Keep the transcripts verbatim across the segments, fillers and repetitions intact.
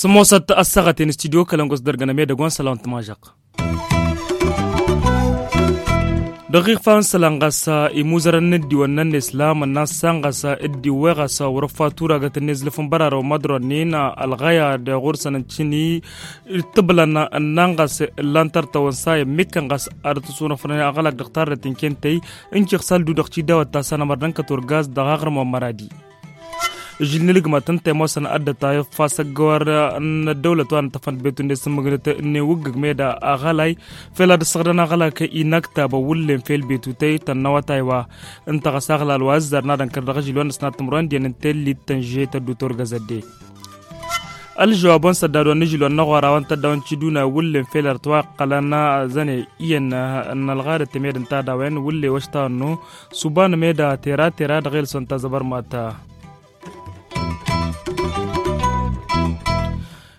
S-ămoosăt ăssaɣăten studyo kălăngos dăr-gănăm edăgg wa n-sălan tămažăɣ. Dăɣ-iɣfa n-isălan ɣas imuzărăn n-ăddiwănnăn n-islam ănnan s-san ɣas ăddiwwe ɣas wăr-ăffa turagăt n-izlǝf n-bărarăw mădronin ălɣăya d-ɣur-săn n-tini. Tǝblăn ănnan ɣas ǝllan tărtăwăn sa i-ămmikkăn ɣas ad-ătwăsunăfrăn aɣălak dăɣ-tarrăt n-kentăy. N-kiɣsal du-dăɣ tidawăt ta săn ămărdăn kăturgaz dăɣ-aɣrǝm wa n-măradi. Žil n-ilgmăt ǝnta i-ămoosăn ad-dd-tayăf asăggăwăr n-ăddăwlăt wa n-tăfănt betu n-esǝmmǝgnăt n-ewǝggǝg meda aɣălay fel ad-ăssăɣdăn aɣălak inaktabăn wǝllen fel betu tăy tănnăwătay wa. Ǝnta ɣas aɣlal wa ăzzar n-ad-ănkăr dăɣ-ažil wa n-ăsnat timǝrwen d-iyyăn n-tellit tănže tăddu turgăzădde. Ălžăwab wa n-săddad wa n-ažil wa n-năɣora wa n-tăddawăn tiduna wǝllen fel ărtwăqqălăn zăne iyyăn n-ălɣadăt temed n-tadawen wǝlle wăštannu. Suban meda tera tera dăɣ-elson tazăbărmat.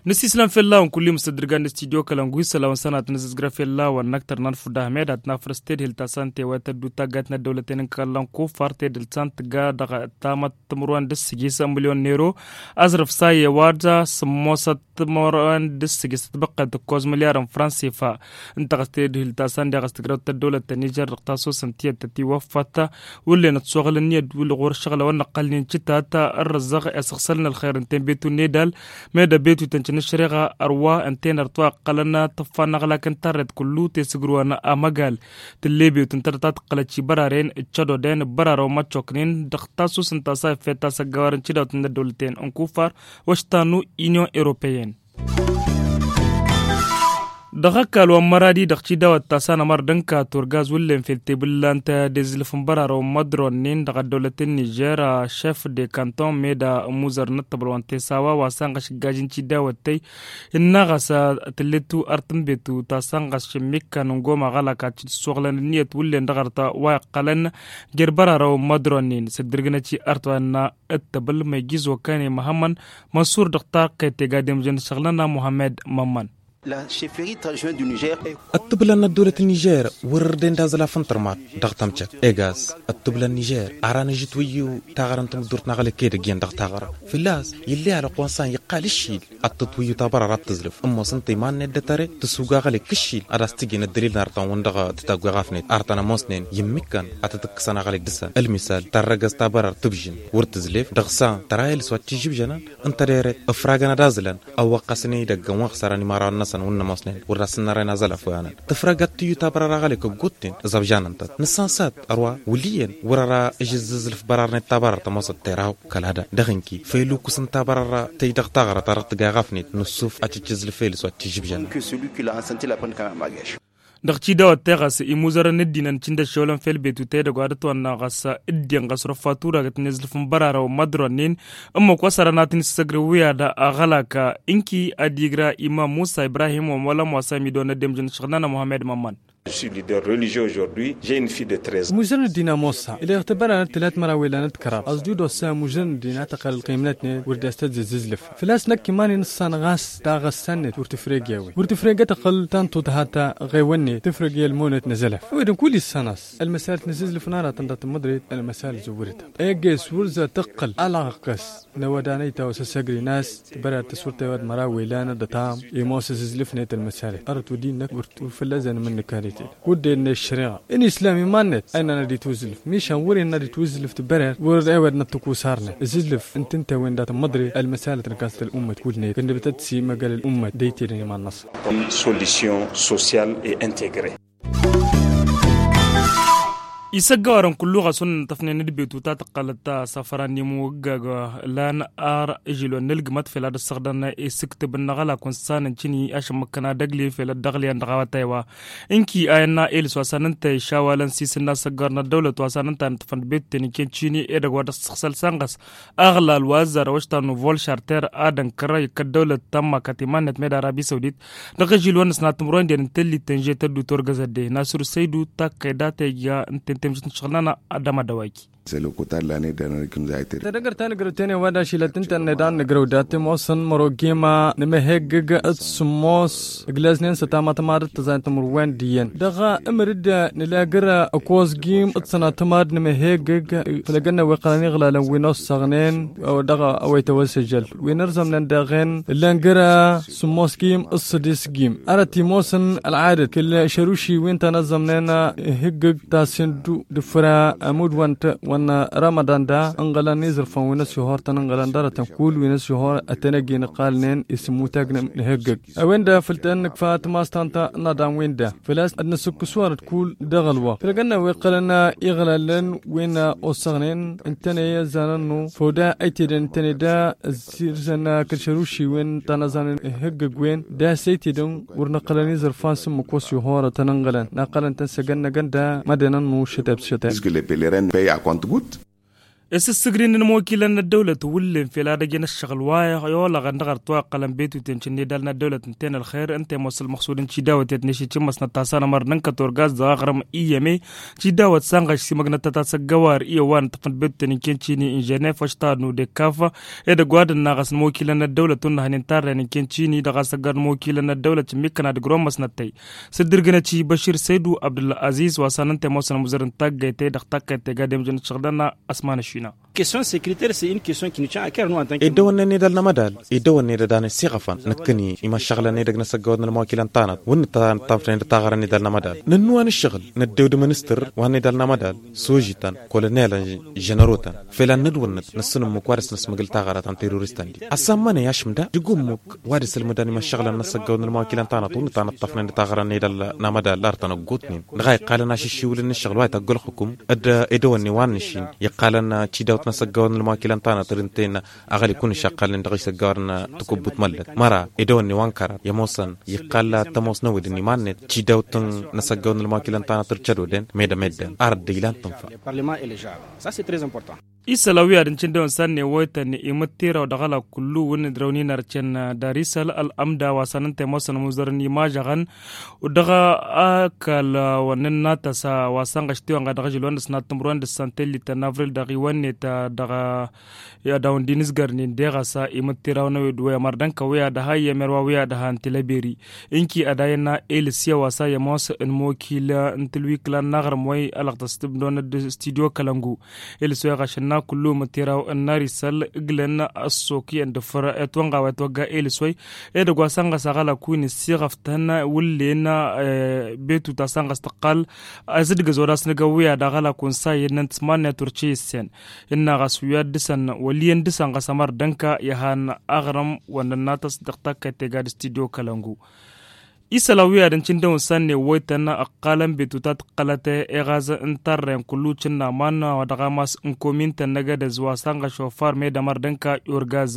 Nǝsislăm fell-awăn kull-i mǝstăddǝrgan n-studyo kălăngu isălawăn sănat nǝzǝzgră fell-awăn n-aktăr n-anfud ahmed ad-tnafrăs tedhil ta săn tewăyăt ăddu taggayt n-ăddăwlăten n-kăllan kufar tedhil ta săn tǝgga dăɣ-tamăt timǝrwen d-ǝssǝjis milyon n-ero. Azrǝf sa i-ewad sǝmmosăt timǝrwen d-ǝssǝjis tibăqqet ǝkkoẓ milyar n-fransifa. Ǝnta ɣas tedhil ta săn deɣ ăstǝgrăwt ăddăwlăt ta nižer dăɣ-tasusăn tiyyăt tătiwăffăt. Wǝllen ătsoɣăl ǝnniyăt wǝll-ɣur-ǝššăɣǝlăwăn n-ăqqălnen cǝtat ărrăzzăɣ i-asăɣsălăn ălxer n-tenbetu n-edal. Meda betu tăncăn ăššăreɣa ărwa ǝnta-en ărtwa ăqqălăn tǝffa n-aɣlak n-tarret kullu tesǝgrǝwăn amăgal. Tǝlle betu ǝnta dăɣ-ta tǝqqălăt šibăraren ǝccădoden ǝbbărarăwăn măccoknen dăɣ-tasusăn ta sa iffet ta săggawar n-cidawt n-ăddăwlăten n-kufar. Wăštanu inyon europeyăn. Dăɣ-ăkall wa n-măradi dăɣ-tidawăt ta s-anămăr d-ǝnka turgaz wǝllen fel tebǝllant d-ezǝlǝf n-bărarăw n-mădronnen dăɣ-ăddăwlăt n-nižer a šef de kanton meda ămuzăr n-ăṭṭăbăl wa n-tesawa wa s-anɣăš ǝggaj n-tidawăt tăy. Innă ɣas tǝllet art n-betu ta s-anɣăš ǝmmikkan n-goma ɣălak ad-t-dd-ăssoɣlăn ǝnniyăt wǝllen dăɣ-art wa iqqălăn jer-bărarăw n-mădronnen s-dd-ǝrgǝnăt i-art wa innă ǝttăbǝl ma ijjǝz okăne măhămmăn. Măsur dăɣ-tarqet tega demjăn šăɣlăn a muhammed mămmăn. Ăttǝblăn n-ăddăwlăt n-nižer wăr-dd-en d-aẓlaf n-tărmat dăɣ-tamcăt egas. Ăttǝblăn nižer ara n-ažǝtwǝyyu taɣărăn tamǝddurt n-aɣlek edăgg iyyăn dăɣ-taɣără făl-a-s ill'-e alăqwan s-an iqqal ǝššil ad-tǝtwǝyyu tabărăr ad-tǝzlǝf ămoos ǝnta iman-net d-atăre tǝsug aɣlek ǝššil ad-as-tǝjjǝn ăddălil n-arătăn-wăn dăɣ-tǝtagg wa ɣafnet arătăn ămoosnen i-ǝmmikkan ad-tăt-ǝkkǝsăn aɣlek dăɣ-săn ălmisal tărrăgăz tabărăr tǝbžǝn wăr tǝzlef dăɣ-san tăra elǝs wa t-ižǝbžănăn. Ǝnta dere ǝfragăn ad-aẓlăn ăwwăqqăsăn idăgg ănwăɣsărăn imarăwăn-năsăn wǝnnămoosnen wăr dasǝnnărăyăn aẓălaf wa-năn tǝfrăgăt tǝyyu tabărăr aɣălek ăggutten ǝẓăbžanăn-tăt nǝssansat ărwa wǝl' iyyăn wăr-ăra ǝžǝzzǝzlǝf bărarnet tabărăr tămoosăt teraw kăl-ad-dăɣ-ǝnki făylu ǝkkǝsăn tabărăr tăy dăɣ-taɣărăt ta dăɣ-tǝgga iɣafnet nǝssuf ad-tǝjjǝzlǝf elǝs wa t-ižǝbžăn. Dăɣ-tidawăt teɣăs imuzărăn n-ăddinăn cǝndăššewlăn fel betu tedăgg wa dăt-wănna ɣas ǝddin ɣas ruffa turagăt n-ezlǝf n-bărarăw n-mădronnen ǝmmǝk wa s-ărănat n-issăgrǝw wi ad-aɣălak ǝnki ad-igra imam musa ibrahim wa n-wălăm wa s-amidon ăddemjăn ǝššăɣǝl-nănăɣ muhammed mămmăn. Muzărăn ăddin a mossa ileɣ tăbăranăt tǝlat măraw ilanăt kăraḍ ăẓdud ossa muzărăn ăddin a tăqqăl ălqimnătnet wăr dd-astăzzǝz ǝzlǝf. Făl-a-s năkk iman-i n-ǝssan ɣas daɣ ăssan-net wăr tǝfreg i-a-wen wăr tǝfreg i-ad-tăqqăl ta n-tuḍhat ta ɣeywăn-net tǝfreg i-ălmunăt n-azălaf. A-wen kull issan-as ălmăsalăt n-azǝzlǝf n-aratăn dat-măḍret ălmăsalăt zǝwwǝrăt. Egg'-e s-wăr za tǝqqăl alaɣ ɣas n-ăwadănăy ta wa s-ăssăgri n-a-s tibăra tăsurtăy wa d-măraw ilan ad-ătam imoos azǝzlǝf-net ălmăsalăt arăt wăr dd-innăk wăr fălla-s anmǝnnǝk arăt-e. Wăr dd-enne ăššăreɣa n-islam iman-net a innăn ad-itwǝzlǝf mišan wăr innă ad-itwǝzlǝf tibărer wăr ewădnăt tăkusar-net azǝzlǝf n-tǝntăwen dat-măḍre ălmăsalăt n-kas tăl-ummăt kull-net kănnăbtăt s-imăgăl ăl-ummăt d-aytedăn iman-năsăn. Solution sociale et integre. Isăggăwarăn kullu ɣas wăr nǝtăfnen d-betu ta tăqqălăt ta safăra n-imwǝggag lan ar ǝžilon n-ǝlgǝmăt fel ad-ăssăɣdăn isǝktǝb n-aɣălak wa n-sănăn cǝni ašămmăkkăn ad-ăgli fel ăddăɣliyăn dăɣ-awătay wa. Ǝnki a innă elǝs wa s-anăn tăy išawalăn s-isǝnna asăggăwar n-ăddăwlăt wa s-anăn tanătăfăn d-betu teniken cǝni edăgg wa d-ăssăɣsăl s-anɣăs aɣlal wa ăzzarăw ăštan n-vol šarter ad-ănkăr ikk ăddăwlăt tămmakăt iman-net med arabi săwdit. Dăɣ-ežil wa n-ăsnat timǝrwen d-en n-tellit tănže tăddu torgăzădde nasur săydu takkăyda ta ija n-tentemžăt n-ašăɣǝl-nănăɣ. Ad-dămădăwayki. Sălăkut allan edănăr kǝmzaytări. Tădăgăr ta nǝgrăw tene wa dašilăt ǝntăn nedan nǝgrăw dat timosăn mărogima nǝmăheggǝg d-sǝmmos ǝglăznen s-ătamatăma d-tăzayăn timǝrwen d-iyyăn dăɣ-ǝmǝrǝd. Nǝlagăr ăkosgim d-sănatăma d-nǝmăheggǝg fălăgăn n-aweqqălăn iɣlalăn wi n-ossăɣnen dăɣ-awăytăwăl s-ǝžžăl wi n-ărzămnen dăɣ-en ǝllăn găr sǝmmos gim d-sădis gim. Arăt imosăn ălɣadăt kǝl-šăruši wi n-tanăzzămnen ihǝggǝg tasindu d-făra ămudwăn-t wăn ramadan da ǝnɣălăn izǝrfăn wi n-ăsihor tăn-ǝnɣălăn dăr-tăn kull wi n-ăsihor ătănăgin ăqqalnen isǝmmutag n-ihǝggǝg. A-wen-da făl tăn-nǝkfa tămastănt n-adam-win-da făl-a-s ad-nǝsǝkkǝs wăr-dd kull dăɣ-ălwăqq făl gănna wi ǝqqălăn iɣlalăn wi n-ossăɣnen ǝntăne ăzzanăn-nu făw da ăytedăn ǝntăne da ăzzirzăn kăl-šăruši wi n-tanăẓan ihǝggǝg-wen da s-ăytedăn wăr nǝqqălăn izărfan s-ǝmmǝk wa s-ihorătăn ǝnɣălăn năqqălăn-tăn s-ăgg ănnăgăn da mădănăn n-ušăteb s-šăteb. Păy a kont-gut. Isǝssǝgrin n-imokilăn n-ăddăwlăt wullen fel ad-ăjăn ăššăɣǝl wa i-olăɣăn dăɣ-ărtwa iqqălăn betuten šǝnnedal n-ăddăwlăt ǝnta-en ălxer ǝnta i-ămoos ălmăxsud n-cidawăt i-ad-nešit šǝmmăsnăt ta s-anămăr n-ǝnkăt orgaz dăɣ-aɣrǝm iyyăme. Cidawăt sanɣăš simăgnăt ta tasăggăwar iyyăw wa n-ǝṭṭăfnăt betuten n-ken šini n-ženef wa štaɣ n-udekaf. Edăgg wa d-ănnaɣăs n-imokilăn n-ăddăwlăt wa n-năhnen tarren n-ken šini dăɣ-asăggăr n-imokilăn n-ăddăwlăt šǝmmikăn ad-ǝgrǝwăn măsnăt-tăy s-dd-irgǝnăt i-băšir săydu abdul-aziz wa s-anăn tămoosăn amuzăr n-taggayt-e dăɣ-taggayt tega demjăn ăššăɣlăn. Asman ăšina. Question securitaire s-e in question kinǝcăn akăr nu antan. Edăwănnen edăl n-amădal edăwănnen edăl n-asiɣăfăn năkkăni imăššăɣlăn edăgg n-asăggăwăt n-almawăkilăn tanăt wǝnnǝt tănăṭṭafnen d-taɣărăn edăl n-amădal nănnuwan ǝššăɣǝl năddew d-ministăr wa n-edăl n-amădal sožităn kolonelăn ženărotăn. Fel ad-nădwănnăt năssǝnǝmmǝk wa dăɣ-s năsmăgǝl taɣărăt n-teroristăn-di ăssammănăy ašǝm da dăgg-ummǝk wa dăɣ-s ǝlmǝdăn imăššăɣlăn n-asăggăwăt n-almawăkilăn tanăt wǝnnǝt tănăṭṭafnen d-taɣărăn edăl n-amădal ar tănăggutnen dăɣ-a iqqalăn ašǝššiwǝl n-ǝššăɣǝl wa ităggălxǝkum. D-edăwănne wa n-nǝšin iqqalăn cidawt n-asăggăwăt n-almawăkilăn tanăt ăr ǝnta-en aɣăli kunǝš a ǝqqalnen dăɣ-isăggăwăr n-tăkubbut măllăt măra edăwănne wa n-kărar i-ămoosăn iqqal tămoos n-awǝd n-iman-net cidawt n-asăggăwăt n-almawăkilăn tanăt ăr cădoden med-ămedden ar dd-ilan tǝnfa. Isălan wi ad-ǝncǝndăwăn s-ad-newăytăn imǝttiraw dăɣ-ălak kullu wǝnnǝd răwnin ărcen darisăl ălămda wa s-anăn temosăn muzărăn imažăɣăn dăɣ-ăkall wa n-ǝnnatăs wa s-anɣăš tiwănɣa dăɣ-ažǝl wa n-dăɣ-s n-ad-tǝmrǝwăn dăɣ-s antellit n-avril dăɣ-iwănnet dăɣ-i ad-awăn dinǝzgărnen deɣăs imǝttiraw n-ewed wa i-amărdăn kăwăy ad-ăha i-emer wa wi ad-ăha n-tilăberi. Ǝnki ad-ayăn elǝsya wa s-a i-ămoos n-imokil n-tǝlwikla n-aɣrǝm wa i-ălăɣtăs tǝbdon d-studyo kălăngu. Elǝsya ɣašăn n-a kullu imǝttiraw n-arisăl ǝglăn ăssok i-ăndăfăr etwănɣa wa etwăgga elǝs wa i-edăgg wa s-anɣăs aɣălak wi n-ǝssiɣăftăn wǝllen. Betu ta s-anɣăs tăqqal azǝdgăz wa d-asnăgăw wi ad-aɣălak wa n-sa i-ănnăn tǝsmannet wăr ce issen. Ǝnna ɣas wi ad-dăr-săn wăl' iyyăn dăr-săn ɣas ămăr dănka i-ăhan aɣrǝm wa n-ănnatăs dăɣ-takkăyt tega d-studyo kălăngu. Isălan wi ad-ǝncǝndăwăn s-ad-newăytăn ăqqalăn betu ta tǝqqălăt eɣaz n-tarren kullu cǝnnaman wa dăɣ-amas n-komin-tăn n-egădez wa s-anɣăš ofar med-ămăr dănka i-urgaz.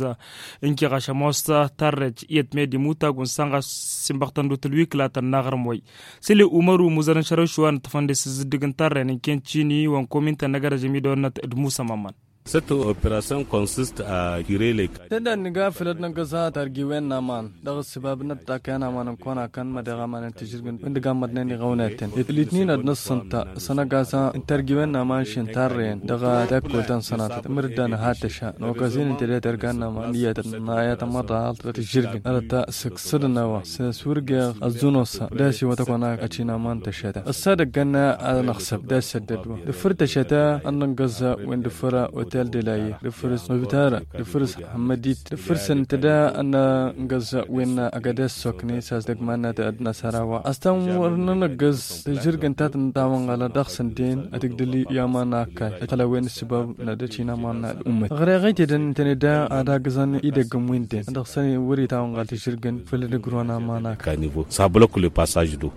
Ǝnki ɣaš ămoos tarrec iyyăt med-imutag wa n-sănɣăš sinbăɣtăn d-utǝlwiklatăn n-aɣrǝm-way. Săle umăru muzărăn šărăwši wa n-ǝṭṭăfăn dăɣ-s ǝzzǝddǝg n-tarren n-ken cini wa n-komin-tăn n-egădez ămidăwănnăt d-musămămăn. Săt operasyon konsist a kirele. Tădda n-nǝga făll-ad-năggăẓ targiwen n-aman dăɣ-ăssăbab n-ăṭṭak i-ănaman n-kăwăn-akăn mădeɣ aman n-tižǝrgǝn wǝndǝg amăḍnen iɣăwnaten itlit-nin ad-năssănta s-anăgasa n-targiwen n-aman šin tarrăyăn dăɣ-takkotăn sănatăt măr-dd-anăha tăša n-okăzin n-tedăt irgan n-aman iyyătăn n-ayătăn măḍal dăɣ-tižǝrgǝn arăt ta sǝksǝdăn a-wa s-wăr geɣ ăẓẓun ossa d-asiwăt ăkăwăn-ak ăčin aman tăšăta ăssa dăgg-ănn ad-năɣsăb d-asăddăd wa d-făr tăšăta ad-nǝngăẓẓa wen d-făr otel de la yer d-făr s-măbtara d-făr s-hămmădit d-făr s-ǝntăda ad-nǝngăẓẓa wen agădes sokne s-asdăgg mannăt ad-năsăra wa ăstăn wăr nǝnăggăẓ tǝžžǝrgǝn ta tǝntawăn ɣăla dăɣ-săn den ad-tǝgdǝl i-aman akkay ătălăwen ǝssǝbab n-ad-ăčin aman n-ad-ummăt ɣăreɣ ăytedăn ǝntăne da ad-agǝẓăn idăgg n-winden ad-dăɣ-săn wăr-itawăn ɣal tǝžžǝrgǝn făll-ad-ǝgrǝwăn aman akkay. Sabălăkul i-pasaj do.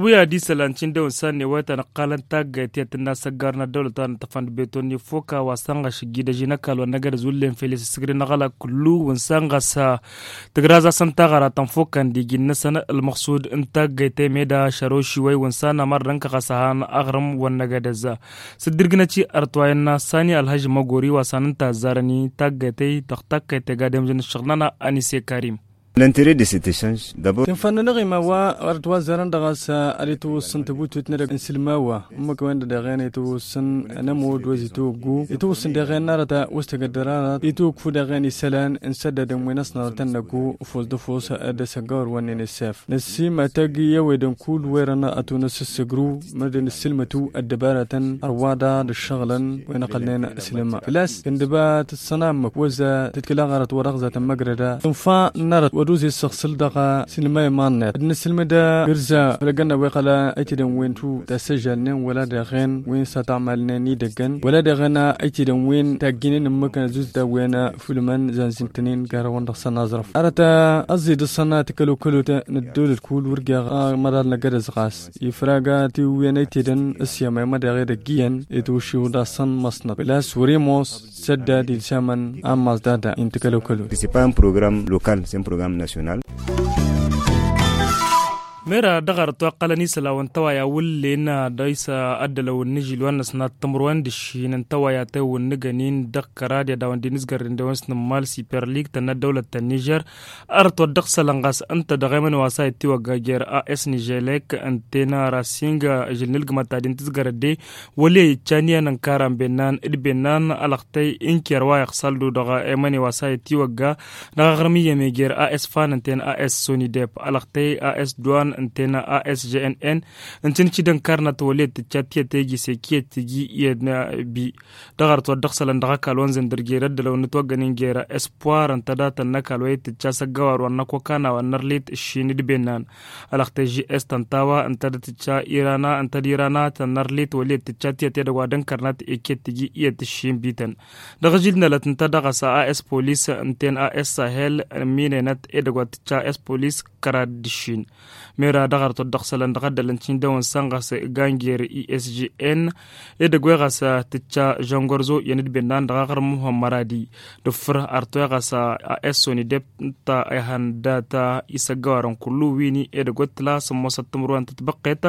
Wi ad-isălan cindewăn s-ad-newăytăn ǝqqalăn taggayt i-ad-tǝnna asăggar n-ăddăwlăt wa n-ǝṭṭăfăn d-beton n-ifoka wa s-ănɣăš ǝggidăž-in ăkall wa n-agădăz wǝllen fel i-sǝssǝgri n-aɣălak kullu wa n-sănɣăs. Tǝgrazasăn taɣăra tănfokăn d-iji-năsăn ălmăɣsud n-taggayt i-meda šărošiwăy wa n-săn ămăr d-ănkăɣăs ăhan aɣrǝm wa n-agădăz. Sǝddǝrgǝnăt-i ărtwayăn n-assani ălhăžž măgori wa s-anǝnta ăzzarăn-i taggayt-i dăɣ-takkăyt tega d-emžăn ǝššăɣǝl-nănăɣ anise karim. L'interet de cet echange dabor. Tinfan n-anăɣima wa ɣărăt wa zărăn dăɣ-s ad-itwǝssǝn tăbutut n-edăgg n-sǝlma wa ǝmmǝk wen-dăɣ deɣen itwǝssǝn n-ămood wa zi toggu itwǝssǝn deɣen n-arăt wa s-tăgăddăr arăt itwǝkfu deɣen isălan n-săddadăn wen ăsnărătăn năggu ăfos d-ăfos d-asăggawăr wa n-inisef năssimatăg i-ewedăn kull werăn ad-tunăs ǝssǝgru mărdăn ǝssǝlmătu ăddăbarătăn ărwaḍa d-ǝššăɣǝlăn wen ăqqălnen ǝslǝma făl-a-s kăndăba tǝssănammăk wăzza tǝtkǝla ɣărăt wa dăɣ-zatăn măgrăda tǝnfa n-arăt wa d-oze s-săɣsǝl dăɣ-sǝlma iman-net ad-nǝssǝlmǝd gǝrza făll-ăggănna wa iqqăl ăytedăn wen tu tasăžžalnen wăla deɣen wen s-atamalnen idăggăn wăla deɣen ăytedăn wen tagginen ǝmmǝk n-ăzuzda wen fǝlmăn zanzǝntănen garăwăn dăɣ-săn aẓrăf arăt ăẓẓe d-ăṣṣănna tǝkălokălot n-ăddolăt kull wăr geɣ măḍal n-agădăz ɣas ifrag tiwǝyăn ăytedăn s-yamay mădeɣ edăgg iyyăn itwǝššiw d-asăn măsnăt făl-a-s wăr-imos săddad ilsamăn ammas dada intǝkălokălot. C'est pas un programme local, c'est un programme national. Mera dăɣ-arăt wa ǝqqălăn isălan wa n-tawaya wǝllen dăɣ-isălan ăddălăw n-ažil wa n-ăsnat timǝrwen d-ǝššin n-tawaya ta iwǝnnǝgăn-in dăɣ-kăraḍ i-ad-dawăn d-inǝzgărren dewăn s-nǝmmal siperlig tănna ăddăwlăt ta n-nižer. Arăt wa dd-ăɣsălăn ɣas ǝnta dăɣ-emăn wa s-a ittiwăgga jer-as niželek ǝnta-en rasing ažǝl n-ǝlgǝmăt ta d-intǝzgărăt de wăl' i-iccan iyyăn ǝnkaran bennan d-bennan ălăxtăy ǝnker wa iɣsăl-du dăɣ-emăne wa s-a ittiwăgga dăɣ-aɣrǝm iyyăme jer-as fan ǝnta-en as sonidep ălăxtăy as duan ǝnta-en as jnn. Ǝnta-en ǝcci d-ǝnkarnăt wăl' i-dd-tǝcca tiyyăt egise kiyyăt tǝji iyyăn bi dăɣ-arăt wa dd-ăɣsălăn dăɣ-ăkall wa n-zǝndǝr jer-ăddălăw n-ǝtwăggăn-in jer-espoir ǝnta dat-ănnăkall wa i-tǝcca s-ăggăwar wa n-ăkokana wa n-ărlit ǝššin d-bennan ălăxtăy žes tănta wa ǝnta d-tǝcca irana ǝnta d-irana tănnărlit wăl' i-dd-tǝcca tiyyăt edăgg wa d-ǝnkărnăt iket tǝji iyyăt ǝššin bităn. Dăɣ-ažil n-elăt ǝnta dăɣ-s as polis ǝnta-en as sahel ǝmminenăt edăgg wa tǝcca as polis kăraḍ d-ǝššin. Mera dăɣ-arăt wa dd-ăɣsălăn dăɣ-ăddălăn cindăwăn săn ɣas ganjer isjn edăgg wa ɣas tǝcca žăngărzo iyyăn d-bennan dăɣ-aɣrǝm muhămmăradi d-ǝffǝr arăt wa ɣas a s sonidep ǝnta ihăn data isăggăwarăn kullu wini edăgg wa t-tǝla sǝmmosăt timǝrwen tǝtbăqqet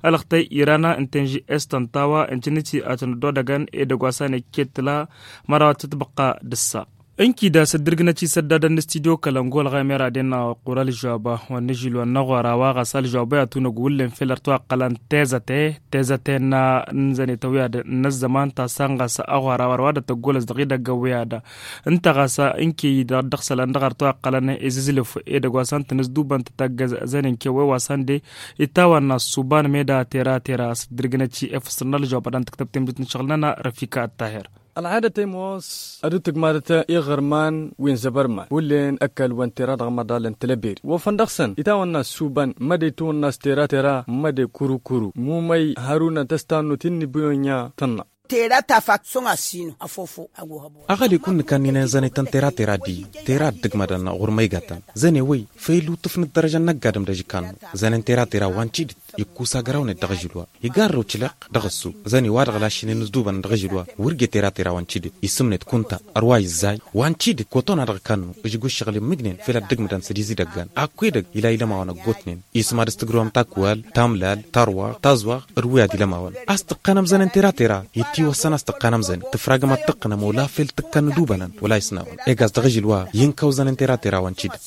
ălăxtăy irana ǝnta-en ži s tănta wa ǝncǝnnǝt-i ad-tăn-ăddoḍăgăn edăgg wa s-a n-ekket tǝla măraw ad-tǝtbăqqa d-ǝssa. Ǝnkida s-ăddǝrgǝnăt isăddadăn n-studyo kălăngol ɣaymer ad-innă ăqqur ălžăwab wa n-ažil wa n-aɣora wa ɣas ălžăwab i-ad-tunăgg wǝllen fel ărtwa ǝqqălăn tezăte tezăte n-zănetăn wi ad-năzzăman ta săn ɣas aɣora wa d-tăggolăs dăɣ-idăggăn wi ad-ǝnta ɣas ǝnke-i dăɣ-dd-ăɣsălăn dăɣ-ărtwa ǝqqălăn izǝzlǝf edăgg wa săn tǝnǝzdubăn tǝtaggăz zănen kewe wa săn de itawănna s-suban meda tera tera s-ǝddǝrgǝnăt i-efăsăr n-ălžăwab ad-dăn-tǝktăb temdit n-ašăɣǝl-nănăɣ răfika ăttahir. Ălɣadăt a imos ad-dd-tǝgmadăt iɣărman wi n-zăbărman wullen ăkall wa n-tera dăɣ-măḍal n-telăberi wofăn dăɣ-săn itawănna s-suban măde tawănna s-tera tera măde kuru kuru mumăy hărunăt ăstannut innibuyănya tănna. Tera tafak săŋ asino afofo ago hăbo. Aɣăli kunni kanninen zăne tăn tera tera di tera dd-ǝgmădăn ɣur-măygatăn zăne wăy făylu tǝfnǝt dărăžăn n-ăgg-adǝm d-ažǝkkan zănen tera tera wa n-tidǝt ikkus agrăwnet dăɣ-ažǝl wa igarrăw tileɣ dăɣ-ăssu zăne wa dăɣ-lašinen ǝzdubăn dăɣ-ažǝl wa wăr ge tera tera wa n-tidǝt isǝmnet kunta ărwa izzay wa n-tidǝt koton a dăɣ-kannu ǝžgu ǝššăɣǝl immǝjnen fel ad-dăgmǝdăn s-dd-izidăggăn akku edăgg ila ilămawăn ăggootnen isǝm ad-ǝstǝgrǝwăm takwal tamlal tarwaɣt tazwaɣt d-wi ad-ilămawăn a-s tǝqqanăm zănen tera tera ittiwăssăn a-s tǝqqanăm zănen tǝfragăm ad-tǝqqǝnăm ola fel tǝkkan n-idubănăn wăla isnawăn eg a-s dăɣ-ažǝl wa i-inkăw zănen tera tera wa n-tidǝt.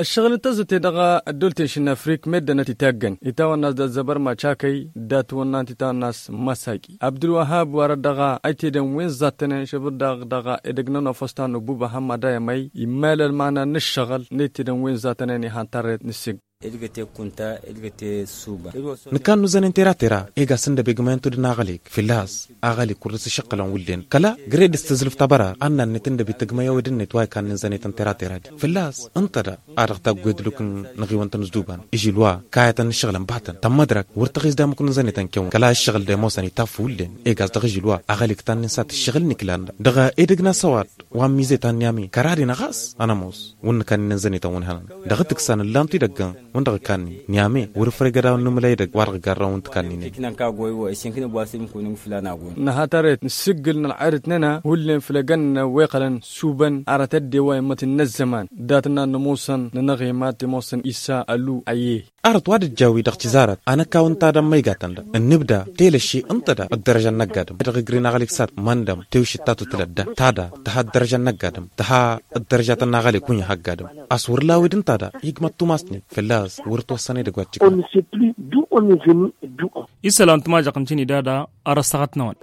Ǝššăɣǝl n-tăzzăte dăɣ-ăddolăten šinafrik meddănăt itaggăn itawănna a-s d-ăzzăbăr macakăy d-atwănna ănta itawănna a-s masaki abdulwăhab wăr-ăddăɣa ăytedăn wi n-zattănen šăbǝr daɣ dăɣ-edăgg n-ănofăs ta n-ububa hămmădayămăy immal ălmana n-ǝššăɣǝl n-ăytedăn wi n-zattănen ihăn tarret n-ǝssǝg. Nǝkannu zănen tera tera ega s-ǝndăb egmăyăn tudǝn aɣălek fǝlla-s aɣălek wăr dăr-s ǝššăqqǝlăn wullen kăla gred s-tǝzlǝf tabăra ănnannet ǝndăb itǝgmăy ăwed-net wa ikannǝn zănetăn tera tera-di fǝlla-s ǝnta da a dăɣ-taggu edluk n-aɣiwăn tăn-ǝzdubăn ižil wa kayătăn n-ǝššăɣǝlăn batăn tămmădrăk wăr tăɣis d-amuknǝn zănetăn kewăn kăla ǝššăɣǝl d-ămoosăn itaf wullen eg a-s dăɣ-ižil wa aɣălek tannǝn s-ad-tǝššăɣǝl n-iklan-dăɣ dăɣ-edăgg n-asăwad wa n-mizet ta n-niyame kăraden ɣas ănămoos wăr nǝkannin n-zănetăn wăn hănăn dăɣ-tǝksan ǝllan-t idăggăn wăn dăɣ-ǝkannin niyame wăr-ǝfrăy gădawăn n-imǝlay edăgg wa dăɣ-garrăn wăn tǝkannin. Nǝha tarret n-asǝggǝl n-ălɣadăt-nănăɣ hullen făll-egăn-nănăɣ wa iqqălăn subăn arăt ăddew wa immătăn n-ăzzăman dat-nănăɣ n-ămoosăn nănăɣ i-mad-t ămoosăn isa ăllu ăyyeh. Arăt wa d-ǝjjawi dăɣ-tizarăt anăkawăn ta dăɣ-măygatăn dăɣ-ǝnnǝbda telăšši ǝnta da ăddărăžăn n-ăgg-adǝm dăɣ-ǝgri n-aɣăl iksat măndăm tewšǝt ta tutǝlăt da ta da tǝha ăddărăžăn n-ăgg-adǝm tǝha ăddărăžatăn n-aɣăl ikunǝha ăgg-adǝm. A-s wăr lawed ǝnta da igmăt tumasnen fălla-s wăr ătwăssăn edăgg wa t-ǝjmăḍ. Isălan tǝmajăɣt n-tinida da arăssaɣăt-năwăn.